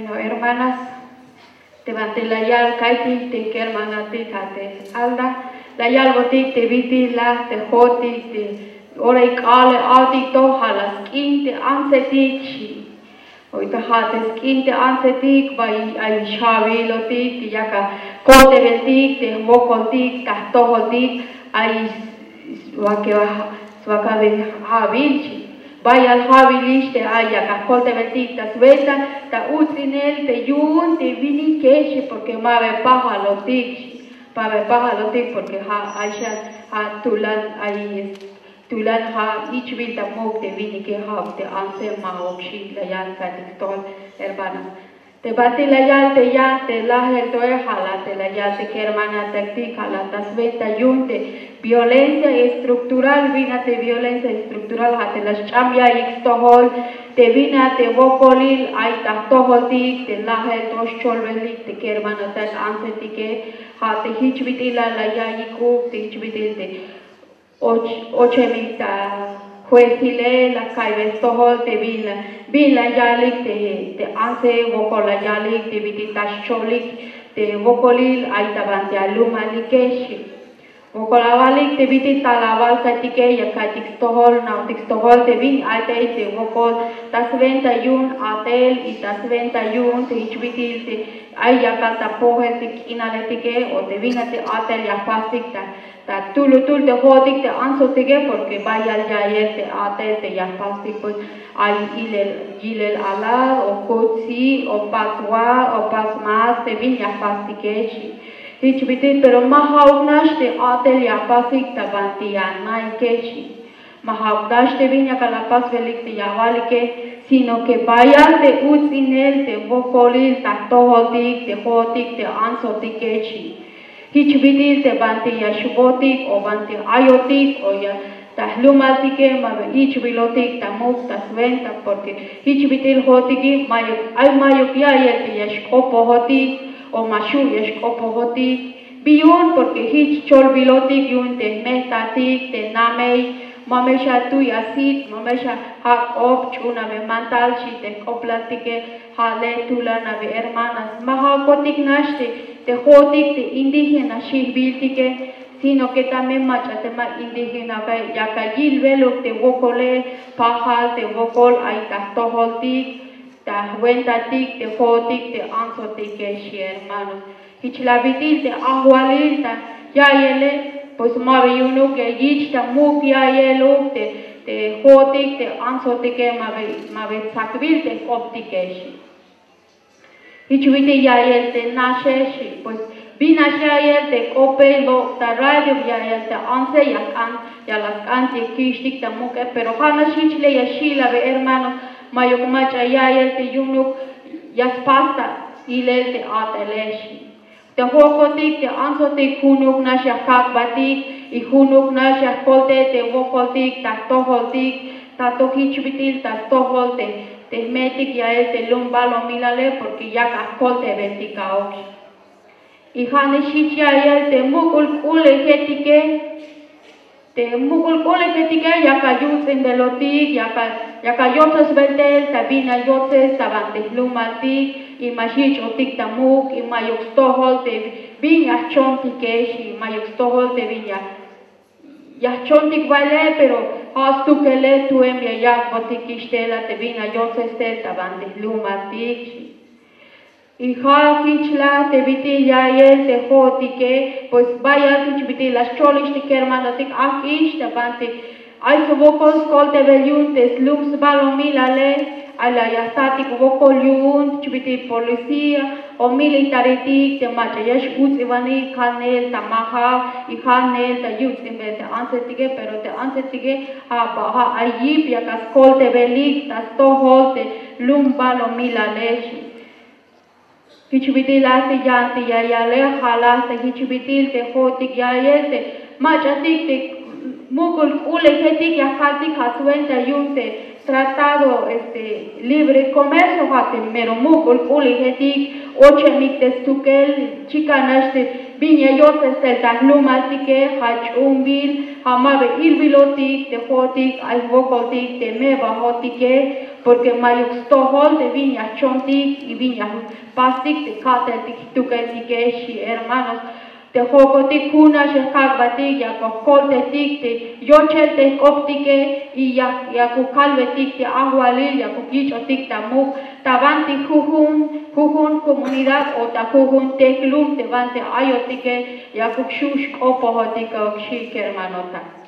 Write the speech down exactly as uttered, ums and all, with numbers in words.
Bueno, hermanas, te banti la yal ka'iytik te kermanatik a te Alda, la yalbotik te bit'il la te jo'otik te ora k'alal a'tik to ja' la sk'in te antsetik xi. Oy ta ja' te sk'in te antsetik bay ay xja'wilotik te yak akoltebeltik te wokoltik ta jtojoltik ay swakabel ja'wil xi. Bayal ja'wilix te ay yak akoltebeltik ta swenta ta uts'inel te yu'un te winikex xi, porque ma ba pajalotik xi, ma ba pajalotik porque ja' ay xan ja' tulan ay tulan ja' ich'bil ta muk' te winike ja' te antse ma'uk xi la yal ka'iytik stojol hermanas. Te banti la yal te yan te lajel toe ja' la te la yal te kermanataktik ja' la ta swenta yu'un te violencia estructural. Bin a te violencia estructural ja' te la xch'am ya'iyik stojol te bin a te wokolil ay ta jtojoltik te lajel to xcholbelik te kermanatak antsetike. Ja' te jich bit'il la la ya'iyik uk te jich bit'il te och ochemik ta juezile la ka'iybe stojol te bin la bin la yalik te te antse wokol la yalik te bit'il ta xcholik te wokolil ay ta banti alumalike xi. Wokol awalik te bit'il tal awal ka'iytike ya ka'iytik stojol na'ojtik stojol te bin ay te te wokol ta swenta yu'un a'tel y ta swenta yu'un te jich bit'il te ay yakal ta pojel te k'inaletike o te bin a te a'tel ya jpastik ta ta tulutul te jo'otik te antsotike, porque bayal ya'iyel te a'tel te ya jpastik pues ay yilel yilel alal o kutsi o pats wa o pats mas te bin ya jpastike xi. Jich bit'il pero ma ja'uk nax te a'tel ya jpasik ta banti ya naike xi. Ma ja'uk nax te bin yakal apasbelik te ya awalike, sino que bayal te uts'inel te wokolil ta jtojoltik te jo'otik te antsotike xi. Jich bit'il te banti ya xbotik o banti ayotik o ya ta jlumaltike ma ba ich'bilotik ta muk' ta swenta, porque jich bit'il jo'otike mayuk ay mayuk ya'iyel te ya xk'opojotik o ma xu' ya xk'opojotik. Bi yu'un porque jich cholbilotik yu'un te jme'tatik te namey, ma me xatuy asit, ma me xajak'op ch'unabe mantal xi te jk'oplaltike. Ja' le tulan a bi hermanas ma ja'ukotik nax te te jo'otik te indígena xijbiltike, sino que también mach'a te ma indígena yakal yilbeluk te wokole pajal te wokol ay ta jtojoltik ta jwentatik te jo'otik te antsotike xi hermanos. Jich la bit'il te ajwalil ta ya'iyele pues ma ba yu'unuk ya yich' ta muk' ya'iyeluk te te jo'otik te antsotike ma ba ma ba tsakbil te jk'optike xi. Jich bit'il ya'iyel te naxe xi pues bin nax ya'iyel te k'opey lok' ta radio ya'iyel te antse ya jk'an ya la sk'an te kixtik ta muk'e, pero ja' nax jich le ya xil a bi hermanos. Mayuk mach'a ya'iyel te yu'unuk ya spas ta ilel te a'tele xi. Te jo'otik te antsotik junuk nax ya jkak'batik y junuk nax ya jkoltay te wokoltik ta jtojoltik ta to jich bit'il ta stojol te te jme'tik ya'iyel te lum balumilale, porque yak ajkoltaybetik a'uk xi. Y ja' nax jich ya'iyel te muk'ul k'u'ulejetike te muk'ul k'u'ulejetike yakal yuts'inbelotik yakal yakal yotsesbel tel ta bin ya yotses ta banti jlumaltik y ma xyich'otik ta muk' y mayuk stojol te bin ya jchontike xi, mayuk stojol te bin ya ya jchontik baile, pero ja' stukele tuem ya yak'botikix tel a te bin ya yotses tel ta banti jlumaltik xi. Y ja' jich la te bit'il ya'iyel te jo'otike pues bayal jich bit'il la xcholix te kermanotik ajk'ix ta banti ay swokol skoltebel yu'un te slum sbalumilale. Ay la ya jtatik wokol yu'un jich bit'il policía o militaretik te mach'a ya x-uts'ibanik ja' neel ta majaw y ja' neel ta yuts'inbel te antsetike, pero te antsetike ja' ba ja' ay yip yakal skoltebelik ta stojol te lum balumilale xi. Jich bit'il la te yan te ya yale ja' la te jich bit'il te jo'otik ya'iyel te mach'atik te muk'ul k'u'ulejetik ya jkaltik ja' swenta yu'un te tratado este libre comercio ja' te mero muk'ul k'u'ulejetik ochemik te stukel chikan nax te bin ya yotses tel ta jlumaltike ja' ch'uunbil ja' ma ba ilbilotik te jo'otik ay jwokoltik te me'bajotike. Porke mayuk stojol te bin ya jchontik y bin ya jpastik te ka'teltik jtukeltike xchi hermanos. Te jokotik jun nax ya jkak'batik ya kojkoltetik te yochel te jk'optike y ya ya kokalbetik te ajwalil ya kokich'otik ta muk' ta banti jujun jujun komunidad o ta jujun tejlum te banti ayotike ya kokxu' xk'opojotik xchi kermanota.